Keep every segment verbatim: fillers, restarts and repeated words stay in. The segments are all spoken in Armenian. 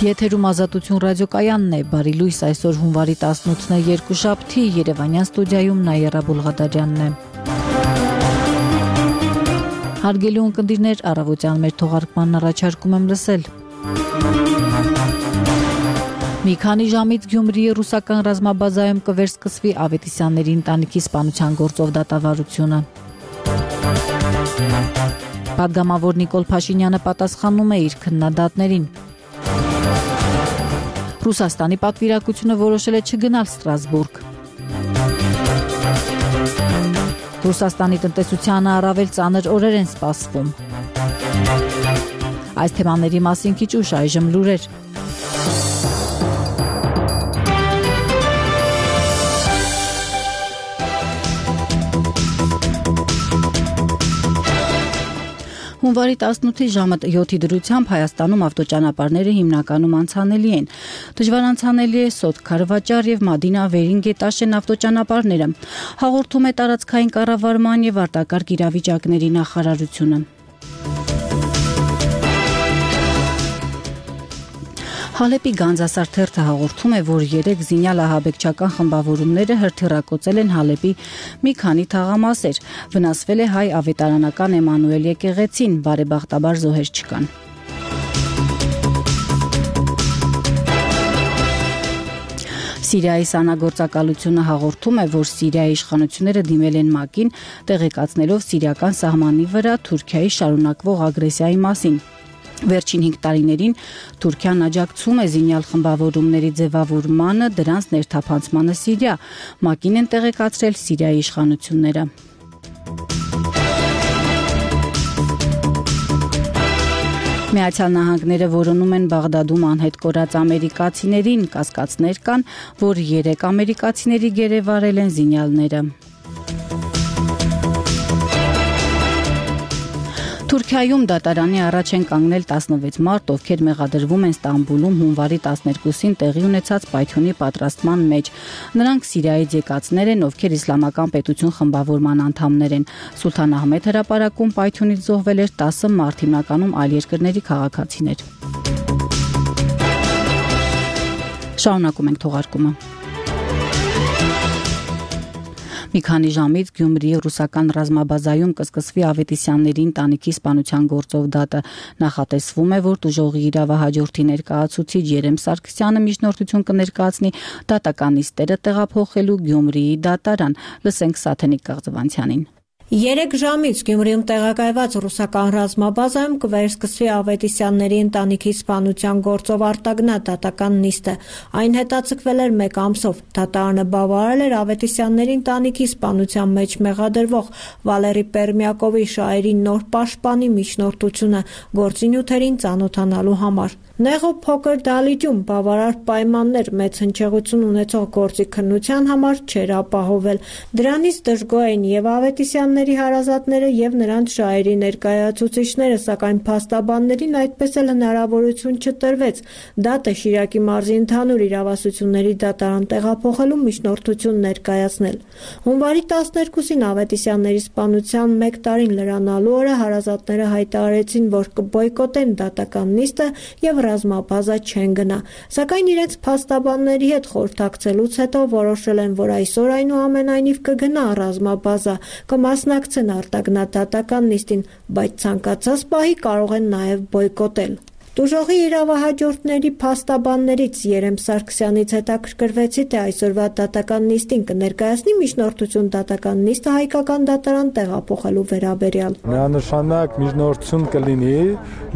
Եթերում Ազատություն ռադիոկայանն է, բարի լույս, այսօր հունվարի տասնութն է, երկուշաբթի, Երևանյան ստուդիայում Նաիրա Բուլղադարյանն է։ Հարգելի ունկնդիրներ, առավոտյան մեր թողարկմանն առաջարկում եմ լսել։ Մի քանի ժամից Գյումրիի ռուսական ռազմաբազայում կվերսկսվի Ավետիսյանների ընտանիքի սպանության գործով դատավարությունը։ Պատգամավոր Նիկոլ Փաշինյանը պատասխանում է իր քննադատներին։ Ռուսաստանի պատվիրակությունը որոշել է չգնալ Ստրասբուրգ։ Ռուսաստանի տնտեսությանը առավել ծանր օրեր են սպասվում։ Այս թեմաների մասին քիչ ուշ այժմ լուրեր։ Հունվարի տասնութի ժամը յոթի դրությամբ Հայաստանում ավտոճանապարհները հիմնականում անցանելի են։ Դժվար անցանելի է Սոթ Քարվաճար եւ Մադինա Վերին-Գետաշեն ավտոճանապարհները, հաղորդում է տարածքային կառավարման եւ արտակարգ իրավիճակների նախարարությունը։ Հալեպի Գանձասար թերթը հաղորդում է, որ երեք զինյալ ահաբեկչական խմբավորումները հրթիռակոծել են Հալեպի մի քանի թաղամասեր, վնասվել է հայ ավետարանական Էմանուել եկեղեցին, բարեբախտաբար զոհեր չկան։ Սիրիայի սանագործակալությունը հաղորդում է, որ Սիրիայի իշխանությունները դիմել են ՄԱԿ-ին, տեղեկացնելով սիրիական սահմանի վրա Թուրքիայի շարունակվող ագրեսիայի մասին։ Վերջին հինգ տարիներին Թուրքիան աջակցում է զինյալ խմբավորումների ձևավորմանը, դրանց ներթափանցմանը Սիրիա, ՄԱԿ-ին են տեղեկացրել Սիրիայի իշխանությունները։ Միացյալ Նահանգները որոնում են Բաղդադում անհետ կորած ամերիկացիներին, կասկածներ կան, որ երեք ամերիկացիների գերեվարել են զինյալները։ Թուրքիայում դատարանի առաջ են կանգնել տասնվեց մարդ, ովքեր մեղադրվում են Ստամբուլում հունվարի տասներկուսին տեղի ունեցած պայթյունի պատրաստման մեջ։ Նրանք Սիրիայից եկածներ են, ովքեր իսլամական պետություն խմբավորման անդամներ են։ Սուլթան Ահմեդ հրապարակում պայթյունից զոհվել էր տասը մարդ, հիմնականում այլ երկրների քաղաքացիներ։ Շարունակում ենք թողարկումը։ Մի քանի ժամից Գյումրիի ռուսական ռազմաբազայում կսկսվի Ավետիսյանների ընտանիքի սպանության գործով դատը։ Նախատեսվում է, որ տուժողի իրավահաջորդի ներկայացուցիչ Երեմ Սարգսյանը միջնորդություն կներկայացնի դատական նիստերը տեղափոխելու Գյումրիի դատարան։ Լսենք Սաթենիկ Կաղձվանցյանին։ Երեք ժամից Գյումրիում տեղակայված ռուսական ռազմաբազայում կվերսկսվի Ավետիսյանների ընտանիքի սպանության գործով արտագնահ դատական նիստը։ Այն հետաձգվել էր մեկ ամսով։ Դատարանը բավարարել էր Ավետիսյանների ընտանիքի սպանության մեջ մեղադրվող Վալերի Պերմյակովի շահերի նոր պաշտպանի միջնորդությունը գործի նյութերին ծանոթանալու համար։ Նեղով փոքր դալիճում բավարար պայմաններ մեծ հնչեղություն ունեցող գործի քննության համար չէր ապահովել։ Դրանից դժգոհ էին եւ Ավետիսյանների հարազատները եւ նրանց շահերի ներկայացուցիչները, սակայն փաստաբաններին այդպես էլ հնարավորություն չտրվեց դատը Շիրակի մարզի ընդհանուր իրավասությունների դատարան տեղափոխելու միջնորդություն ներկայացնել։ Հունվարի տասներկուսին Ավետիսյանների սպանության մեկ տարին լրանալու օրը հարազատները հայտարարեցին, որ կբոյկոտեն դատական նիստը եւ ռազմաբազա չեն գնա, սակայն իրենց փաստաբանների հետ խորհրդակցելուց հետո որոշել են, որ այսօր այնուամենայնիվ կգնա ռազմաբազա, կմասնակցեն արտագնահ դատական նիստին, բայց ցանկացած պահի կարող են նաև բոյկոտել։ Տուժողի իրավահաջորդների փաստաբաններից Երեմ Սարգսյանից հետաքրքրվեցի, թե այսօրվա դատական նիստին կներկայացնի միջնորդություն դատական նիստը հայկական դատարան տեղափոխելու վերաբերյալ։ Միանշանակ միջնորդություն կլինի,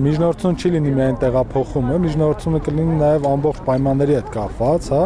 միջնորդություն չի լինի միայն տեղափոխումը, միջնորդությունը կլինի նաև ամբողջ պայմանների հետ կապված, հա։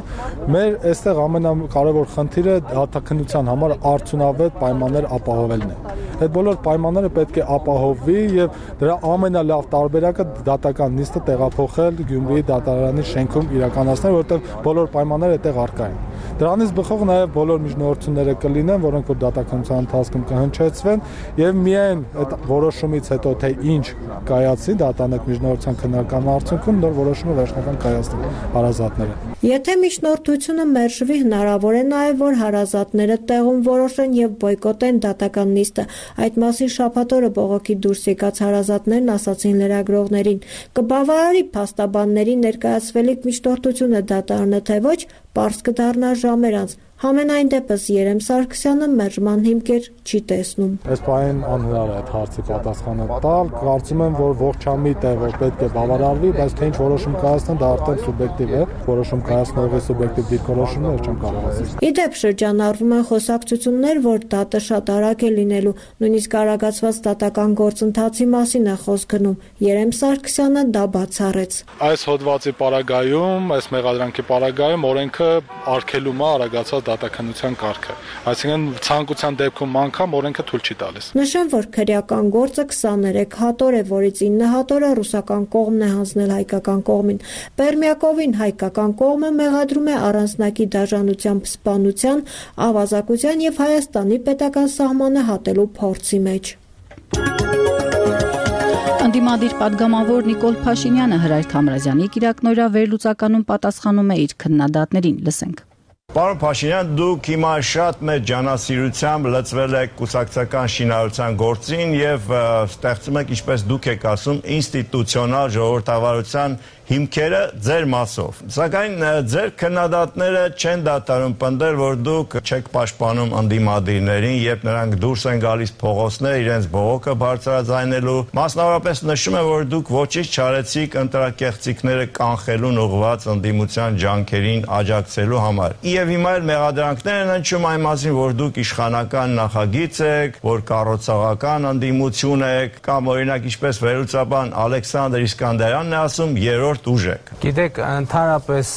Մեր այստեղ ամենակարևոր խնդիրը դատաքննության համար արդյունավետ պայմաններ ապահովելն է։ Այդ բոլոր պայմանները պետք է ապահովվի եւ դրա ամենալավ տարբերակը դատական նիստը տեղափոխել Գյումրիի դատարանի շենքում իրականացնել, որտեղ բոլոր պայմանները այդտեղ առկա են։ Դրանից բխող նաև բոլոր միջնորդությունները կլինեն, որոնք որ դատականության ընթացքում կհնչեցվեն եւ միայն այդ որոշումից հետո թե ինչ կայացի դատարանի միջնորդության քննարկման արդյունքում նոր որոշումը վերջնական կայացնեն հարազատները։ Եթե միջնորդությունը մերժվի, հնարավոր է նաև, որ հարազատները տեղում որոշեն եւ բոյկոտեն դատական նիստը։ Այդ մասին շաբաթ օրը բողոքի դուրս եկած հարազատներն ասացին լրագրողներին. «Կբավարարի փաստաբանների ներկայացվելիք միջնորդությունը դատարանը թե ոչ, պարզ կդառնա ժամեր անց»։ Համենայն դեպս Երեմ Սարգսյանը մերժման հիմքեր չի տեսնում։ Այս պահին անհնար է այդ հարցի պատասխանը տալ, կարծում եմ, որ ողջամիտ է, որ պետք է բավարարվի, բայց թե ինչ որոշում կայացնեն, դա արդեն սուբյեկտիվ է, որոշում կայացնողի սուբյեկտիվ դիրքորոշումն է, չեմ կարող ասել։ Ի դեպ շրջանառվում են խոսակցություններ, որ դատը շատ արագ է լինելու, նույնիսկ արագացված դատական գործընթացի մասին է խոսք գնում։ Երեմ Սարգսյանը դա բացառեց։ Այս հոդվածի պարագայում, այս մեղադրանքի պարագայում օրենքը արգելում է արագացված դատականության կարգը, այսինքն ցանկության դեպքում անգամ օրենքը թույլ չի տալիս։ Նշեմ, որ քրեական գործը քսաներեք հատոր է, որից ինը հատորը ռուսական կողմն է հանձնել հայկական կողմին։ Պերմյակովին հայկական կողմը մեղադրում է առանձնակի դաժանությամբ սպանության, ավազակության եւ Հայաստանի պետական սահմանը հատելու փորձի մեջ։ Անդիմադիր պատգամավոր Նիկոլ Փաշինյանը Հրայր Թամրազյանի կիրակնօրյա վերլուծականում պատասխանում է իր քննադատներին, լսենք։ Պարոն Փաշինյան, դուք հիմա շատ մեծ ջանասիրությամբ լծվել եք կուսակցական շինարարության գործին եւ ստեղծում եք, ինչպես դուք եք ասում, ինստիտուցիոնալ ժողովրդավարության հիմքերը ձեր մասով։ Սակայն ձեր քննադատները չեն դադարում պնդել, որ դուք չեք պաշտպանում անդիմադիրներին, երբ նրանք դուրս են գալիս փողոցներ իրենց բողոքը բարձրաձայնելու։ Մասնավորապես նշում է, որ դուք ոչինչ չարեցիք ընտրակեղծիքները կանխելուն ուղղված ընդդիմության ջանքերին աջակցելու համար։ Եվ հիմա էլ մեղադրանքներ են հնչում այն մասին, որ դուք իշխանական նախագիծ եք, որ կառուցողական ընդդիմություն եք, կամ օրինակ ինչպես վերլուծաբան Ալեքսանդր Իսկանդարյանն է ասում, երրորդ ուժ եք։ Գիտեք, ընդհանրապես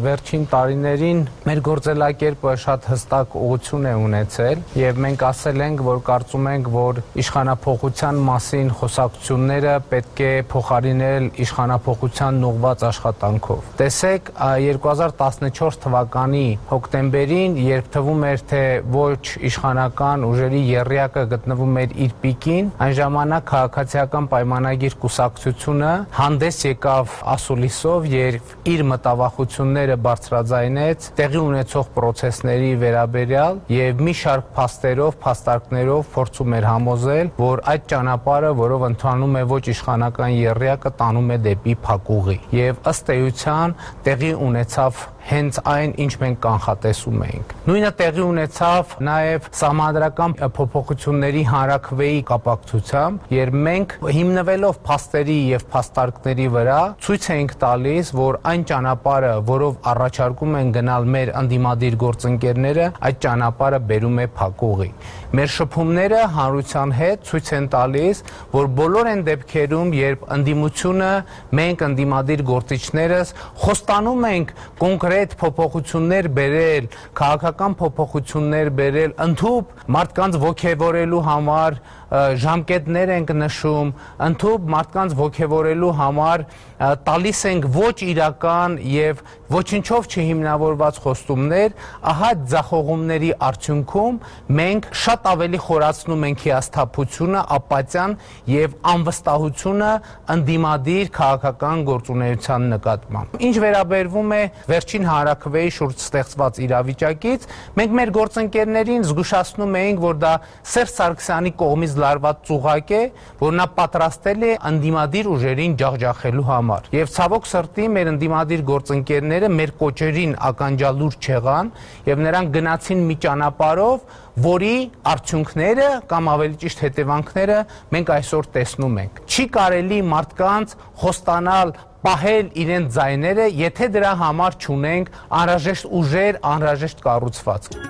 վերջին տարիներին մեր գործելակերպը շատ հստակ ուղղություն է ունեցել եւ մենք ասել ենք, որ կարծում ենք, որ իշխանափոխության մասին խոսակցությունները պետք է փոխարինել իշխանափոխության ուղղված աշխատանքով։ Տեսեք, երկու հազար տասնչորս թվականի հոկտեմբերին, երբ թվում էր, թե ոչ իշխանական ուժերի եռյակը գտնվում էր իր պիկին, այն ժամանակ քաղաքացիական պայմանագիր կուսակցությունը հանդես եկավ ասուլիսով, երբ իր մտավախությունները բարձրաձայնեց տեղի ունեցող պրոցեսների վերաբերյալ եւ մի շարք փաստերով, փաստարկներով փորձում էր համոզել, որ այդ ճանապարհը, որով ընթանում է ոչ իշխանական եռյակը, տանում է դեպի փակուղի։ Եվ ըստ էության տեղի ունեցավ հենց այն, ինչ մենք կանխատեսում էինք։ Նույնը տեղի ունեցավ նաև սահմանադրական փոփոխությունների հանրաքվեի կապակցությամբ, երբ մենք հիմնվելով փաստերի եւ փաստարկների վրա ցույց էինք տալիս, որ այն ճանապարհը, որով առաջարկում են գնալ մեր անդիմադիր գործընկերները, այդ ճանապարհը բերում է փակուղի։ Մեր շփումները հանրության հետ ցույց են տալիս, որ բոլոր այն դեպքերում, երբ ընդդիմությունը, մենք ընդդիմադիր գործիչներս խոստանում ենք կոնկրետ փոփոխություններ բերել, քաղաքական փոփոխություններ բերել, ընդհանուր մարդկանց ոգևորելու համար ժամկետներ ենք նշում, ընդհանուր մարդկանց ոգևորելու համար տալիս ենք ոչ իրական եւ ոչինչով չհիմնավորված խոստումներ, ահա ձախողումների արդյունքում մենք շատ ավելի խորացնում ենք հիասթափությունը, ապաթիան եւ անվստահությունը ընդդիմադիր քաղաքական գործունեության նկատմամբ։ Ինչ վերաբերվում է վերջին հանրաքվեի շուրջ ստեղծված իրավիճակից, մենք մեր գործընկերներին զգուշացնում էինք, որ դա Սերժ Սարգսյանի կողմից լարված ծուղակ է, որ նա պատրաստել է ընդդիմադիր ուժերին ջախջախելու համար։ Եվ ցավոք սրտի մեր ընդդիմադիր գործընկերները մեր կոչերին ականջալուր չեղան եւ նրանք գնացին մի ճանապարհով, որի արդյունքները կամ ավելի ճիշտ հետևանքները մենք այսօր տեսնում ենք։ Չի կարելի մարդկանց խոստանալ պահել իրենց ձայները, եթե դրա համար չունենք անհրաժեշտ ուժեր, անհրաժեշտ կառուցվածք։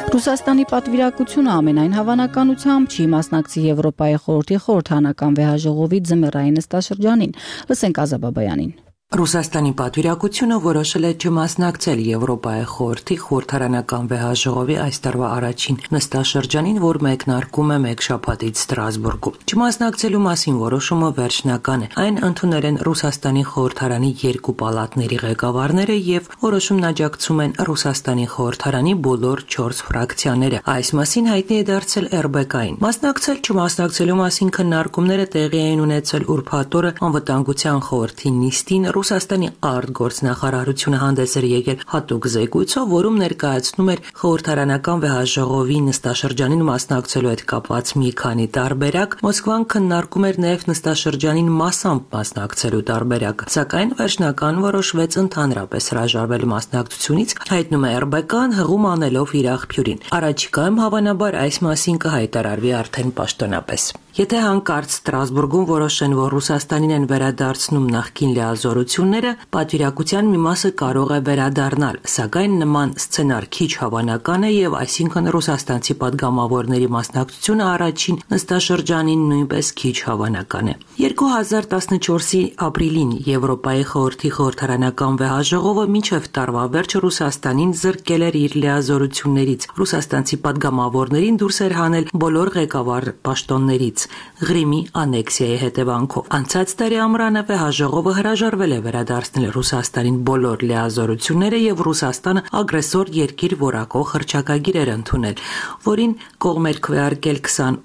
Ռուսաստանի պատվիրակությունը ամենայն հավանականությամբ չի մասնակցի Եվրոպայի խորհրդի խորհրդանական վեհաժողովի ձմեռային նստաշրջանին, լսենք Ազաբաբայանին։ Ռուսաստանի պատվիրակությունը որոշել է չմասնակցել Եվրոպայի խորհրդի խորհրդարանական վեհաժողովի այս տարվա առաջին նստաշրջանին, որ մեկնարկում է մեկ շաբաթից Ստրասբուրգում։ Չմասնակցելու մասին որոշումը վերջնական է։ Այն ընդունել են Ռուսաստանի խորհրդարանի երկու պալատների ղեկավարները եւ որոշումն աջակցում են Ռուսաստանի խորհրդարանի բոլոր չորս ֆրակցիաները։ Այս մասին հայտնի է դարձել էր բի կային։ Մասնակցել չմասնակցելու մասին քննարկումները տեղի էին ունեցել ուրբաթ օրը անվտանգության խորհրդի նիստին Ռուսաստանի արտգործնախարարությունը հանդես էր եկել հատուկ զեկույցով, որում ներկայացնում էր խորհրդարանական վեհաժողովի նստաշրջանին մասնակցելու հետ կապված մի քանի տարբերակ, Մոսկվան քննարկում էր նաև նստաշրջանին մասամբ մասնակցելու տարբերակ, սակայն վերջնական որոշվեց ընդհանրապես հրաժարվել մասնակցությունից, հայտնում է эр бэ կան հղում անելով իր աղբյուրին։ Առաջիկայում հավանաբար այս մասին կհայտարարվի արդեն պաշտոնապես։ Եթե հանկարծ Ստրասբուրգում որոշեն, որ Ռուսաստանին են վերադարձնում նախկին լիազորությունները, պատվիրակության մի մասը կարող է վերադառնալ, սակայն նման սցենար քիչ հավանական է եւ այսինքն ռուսաստանցի падգամավորների մասնակցությունը առաջին նստաշրջանին նույնպես քիչ հավանական է։ երկու հազար տասնչորսի ապրիլին Եվրոպայի խորհրդի խորհրդարանական վեհաժողովը մինչև տարվա վերջը Ռուսաստանին զրկել էր իր լիազորություններից։ Ռուսաստանցի падգամավորներին դուրս էր հանել բոլոր ղեկավար պաշտոններից Ղրիմի անեքսիայի հետևանքով։ Անցած տարի ամռանը վեհաժողովը հրաժարվել է վերադարձնել Ռուսաստանին բոլոր լիազորությունները եւ Ռուսաստանը ագրեսոր երկիր որակող հռչակագիր էր ընդունել, որին կողմ էր քվեարկել քսանութ,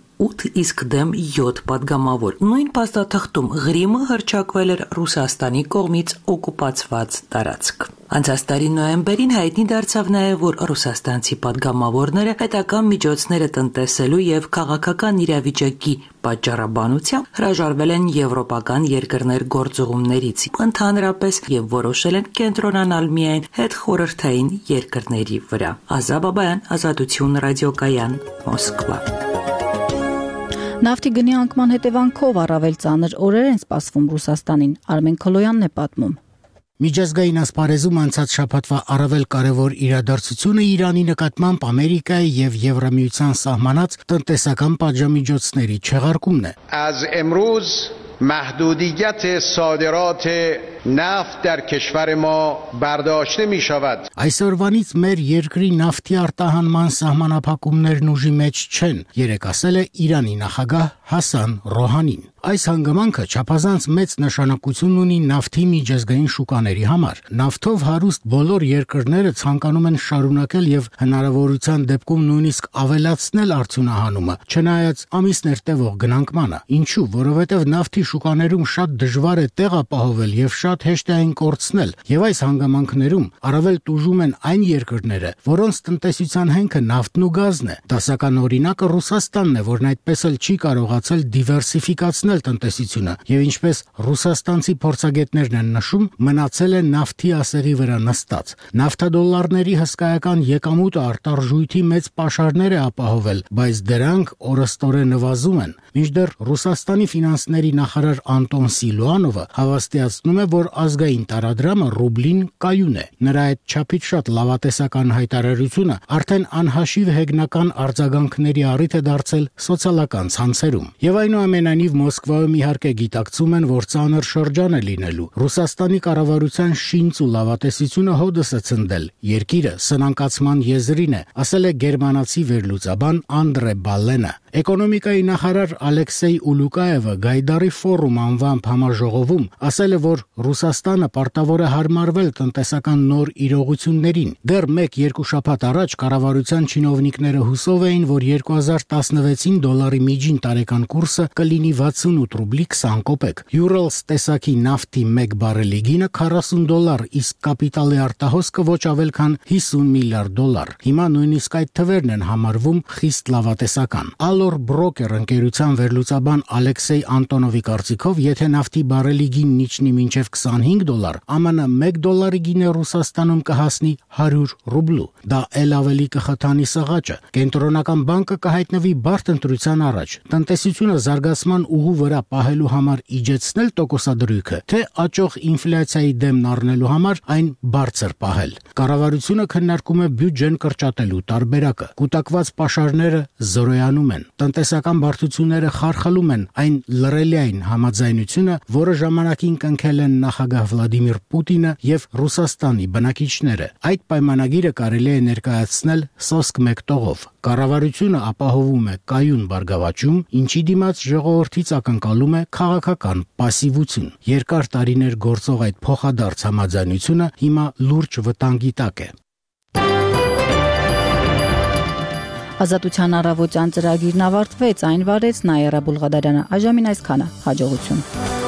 իսկ դեմ յոթ падգամավոր։ Նույն փաստաթղթում Ղրիմը հռչակվել էր Ռուսաստանի կողմից օկուպացված տարածք։ Անցած տարի նոյեմբերին հայտնի դարձավ նաև, որ ռուսաստանցի падգամավորները պետական միջոցները տնտեսելու եւ քաղաքական իրավիճակի պատճառաբանությամբ հրաժարվել են եվրոպական երկրներ գործողումներից ընդհանրապես եւ որոշել են կենտրոնանալ միայն հետխորհրդային երկրների վրա։ Ազա Բաբայան, Ազատություն ռադիոկայան, Մոսկվա։ Նավթի գնի անկման հետևանքով առավել ծանր օրեր են սպասվում Ռուսաստանին, Արմեն Քոլոյանն է պատմում։ Միջազգային ասպարեզում անցած շաբաթվա առավել կարևոր իրադարձությունը Իրանի նկատմամբ Ամերիկայի եւ Եվրամիության սահմանած տնտեսական պատժամիջոցների չեղարկումն է։ از امروز محدودیت صادرات نفت در کشور ما برداشته می شود. Այսօրվանից մեր երկրի նավթի արտահանման սահմանափակումներն ուժի մեջ չեն, երեք ասել է Իրանի նախագահ Հասան Ռոհանին։ Այս հանգամանքը չափազանց մեծ նշանակություն ունի նավթի միջազգային շուկաների համար։ Նավթով հարուստ բոլոր երկրները ցանկանում են շարունակել եւ հնարավորության դեպքում նույնիսկ ավելացնել արդյունահանումը, չնայած ամիսներ տևող գնանկմանը։ Ինչու՞, որովհետեւ նավթի շուկաներում շատ դժվար է տեղ ապահովել եւ շատ հեշտ է այն կորցնել, եւ այս հանգամանքներում առավել տուժում են այն երկրները, որոնց տնտեսության հենքը նավթն ու գազն է։ Դասական օրինակը Ռուսաստանն է, որն այդպես էլ չի կարողացել դիվերսիֆիկացնել տնտեսությունը, եւ ինչպես ռուսաստանցի փորձագետներն են նշում, մնացել է նավթի ասեղի վրա նստած։ Նավթադոլարների հսկայական եկամուտը արտարժույթի մեծ պաշարներ է ապահովել, բայց դրանք օրըստօրե նվազում են։ Մինչդեռ Ռուսաստանի ֆինանսների նախարար Անտոն Սիլուանովը հավաստիացնում է, որ ազգային տարադրամը ռուբլին կայուն է։ Նրա այդ չափից շատ լավատեսական հայտարարությունը արդեն անհաշիվ հեգնական արձագանքների առիթ է դարձել սոցիալական ցանցերում։ Եվ այնուամենայնիվ Մոսկվայում իհարկե գիտակցում են, որ ծանր շրջան է լինելու։ Ռուսաստանի կառավարության շինծ ու լավատեսությունը հոդս է ցնդել։ Երկիրը սնանկացման եզրին է, ասել է գերմանացի վերլուծաբան Անդրե Բալենը։ Էկոնոմիկայի նախարար Ալեքսեյ Ուլուկաևը Գայդարի ֆորում անվամբ համաժողովում ասել է, որ Ռուսաստանը պարտավոր է հարմարվել տնտեսական նոր իրողություններին։ Դեռ մեկ-երկու շաբաթ առաջ կառավարության չինովնիկները հուսով էին, որ երկու հազար տասնվեցին դոլարի միջին տարեկան կուրսը կլինի վաթսունութ ռուբլի քսան կոպեկ։ Urals տեսակի նավթի մեկ բարելի գինը քառասուն դոլար, իսկ կապիտալի արտահոսքը ոչ ավել քան հիսուն միլիարդ դոլար։ Հիմա նույնիսկ այդ թվերն են համարվում խիստ լավատեսական։ Allor Broker ընկերության վերլուծաբան Ալեքսեյ Անտոնովի կարծիքով, եթե նավթի բարելի գինն իջնի մինչև քսանհինգ դոլար, ԱՄՆ մեկ դոլարի գինը Ռուսաստանում կհասնի հարյուր ռուբլու։ Դա ել ավելի կխթանի սղաճը։ Կենտրոնական բանկը կհայտնվի բարդ ընտրության առաջ։ Տնտեսությունը զարգացման ուղու վրա պահելու համար իջեցնել տոկոսադրույքը, թե աճող ինֆլյացիայի դեմն առնելու համար այն բարձր պահել։ Կառավարությունը քննարկում է բյուջեն կրճատելու տարբերակը։ Կուտակված պաշարները զորոյանում են։ Տնտեսական բարդությունները խարխլում են այն լրելիային համաձայնությունը, որը ժամանակին կնքել են նախագահ Վլադիմիր Պուտինը եւ Ռուսաստանի բնակիչները։ Այդ պայմանագիրը կարելի է ներկայացնել սոսկ մեկ տողով։ Կառավարությունը ապահովում է կայուն բարգավաճում, ինչի դիմաց ժողովրդից ակնկալում է քաղաքական պասիվություն։ Երկար տարիներ գործող այդ փոխադարձ համաձայնությունը հիմա լուրջ վտանգի տակ է։ Ազատության առավոտյան ծրագիրն ավարտվեց, այն վարեց Նայերա Բուլղադարյանը։ Այժմին այսքանը, հաջողություն։